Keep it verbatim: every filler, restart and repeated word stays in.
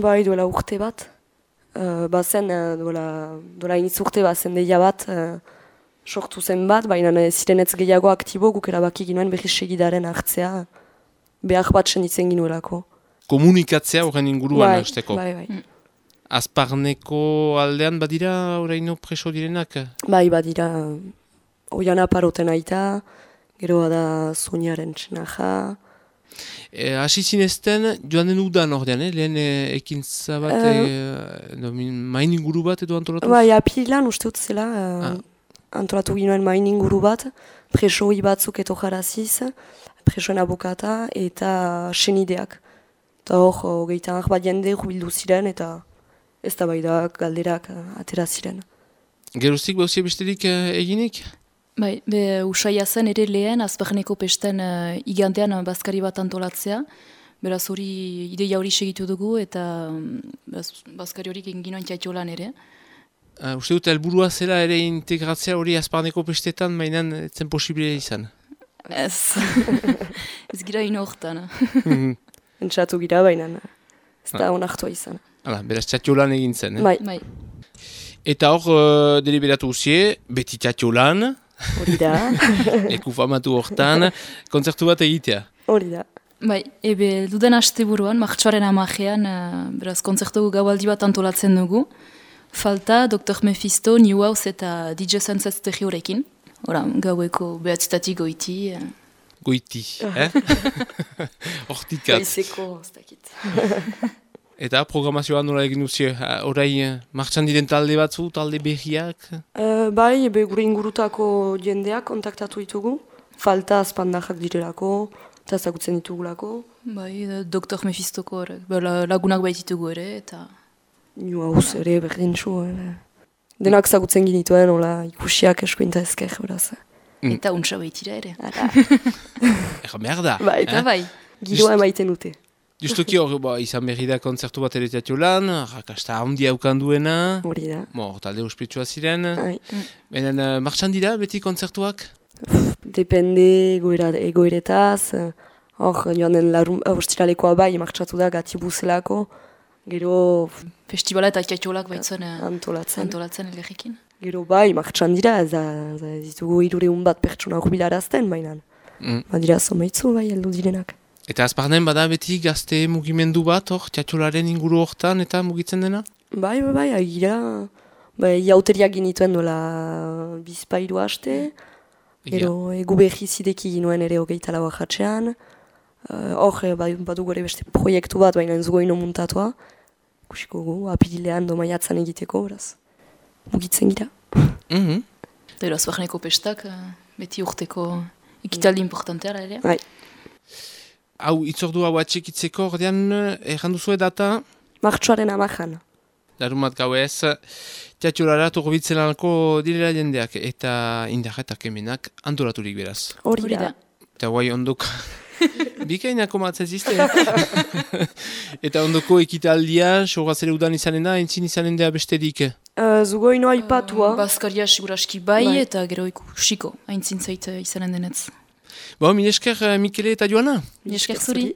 Bai, duela urte bat. Uh, bazen, uh, duela, duela iniz urte bazen deia bat, uh, sortu zen bat, baina ziren ez gehiago aktibo, guk erabaki ginoen berriz segidaren hartzea, behar bat senditzen ginuelako. Komunikatzea horren inguruan bai, hasteko. Bai, bai. Mm. Azparneko aldean badira oraino preso direnak? Bai, badira, oian aparoten aita, gero da Zuniaren txenaja. E, Asi zinezten, joan den udan ordean, eh? Lehen e, ekintza bat, uh, e, no, main inguru bat edo antolatu? Bai, apililan uste dut zela, uh, ah. antolatu ginoen main inguru bat, presoi batzuk eto jaraziz, presoen abokata eta senideak. Eta hor, hogeita bat jende jubildu ziren eta ez da bai da galderak uh, atera ziren. Geruztik bauzia besterik uh, eginik? Bai, be usaia zen ere lehen, azparneko pesten uh, igantean uh, bazkari bat antolatzea. Beraz hori, ideia hori segitu dugu eta um, baz, bazkari horik egin ginoen tiatiolan ere. Uh, uste dut, helburua zela ere integratzea hori azparneko pestetan, mainan etzen posible izan? Ez, ez gira ino hortan. Entzatu gira baina, ez da onartua izan. Hala, beraz tiatiolan egin zen, eh? Bai. Bai. Eta hor, uh, deliberatu usie, beti tiatiolan, hori da. Leku famatu hortan, kontzertu bat egitea. Hori da. Bai, ebe duden haste buruan, martxoaren amajean, uh, beraz, kontzertu gaualdi bat antolatzen dugu. Falta, doktor Mephisto, New House eta D J Sunset Stereo-rekin. Hora, gaueko behatzitatik goiti. Uh. Goiti, eh? Hortikat. Gaizeko, ez dakit. Eta programazioa nola egin duzie? Horai, martxan diren talde batzu, talde behiak? Uh, bai, ebe gure ingurutako jendeak kontaktatu ditugu. Falta azpandajak direlako, eta ezagutzen ditugulako. Bai, doktor Mephistoko lagunak baititugu ere, eta... New House ere, berdin txu. Denak ezagutzen ginituen, hola, ikusiak eskuinta ezker, beraz. Mm. Eta untsa baitira ere. Ega merda. Bai, eta eh? bai, giroa emaiten dute. Justoki hor, ba, izan berri da kontzertu bat ere tiatiolan, rakasta handia ukanduena. Hori da. Mo, talde ospetsua ziren. Bai. Benen, uh, martxan dira beti kontzertuak? Depende egoera, egoeretaz. Hor, joan den ostiralekoa bai, martxatu da gati buzelako. Gero... Festivala eta tiatiolak baitzen antolatzen. Antolatzen elegikin. Gero bai, martxan dira, ez da, ez ditugu hirureun bat pertsona jubilarazten, baina. Mm. Badira zomeitzu bai, heldu direnak. Eta azparnen bada beti gazte mugimendu bat, hor, tiatiolaren inguru hortan eta mugitzen dena? Bai, bai, bai, agira, bai, jauteriak ginituen dola bizpairu haste, gero egu behi zideki ginuen ere hogeita lau ajatzean, hor, uh, bai, badu gore beste proiektu bat, baina entzugo ino muntatua, kusiko gu, apirilean domaiatzen egiteko, beraz, mugitzen gira. Mm-hmm. Eta azparneko pestak, beti urteko ekitaldi importanteara ere. Bai. Hau, itzordu hau atxekitzeko, ordean, erranduzue data? Martxoaren amajan. Larumat gau ez, tiatiolara turbitzen alko direla jendeak, eta indarretak emenak antolaturik beraz. Hori da. Eta guai ondoko, bikainako matzez izte. Eta ondoko ekitaldia, sorrazere udan izanen da, entzin izanen da besterik? Uh, Zugo ino aipatua. Uh, Baskaria siguraski bai, bai, eta gero ikusiko, haintzin zait izanen denetz. Bo, mi esker Mikele eta Joana? Mi esker zuri.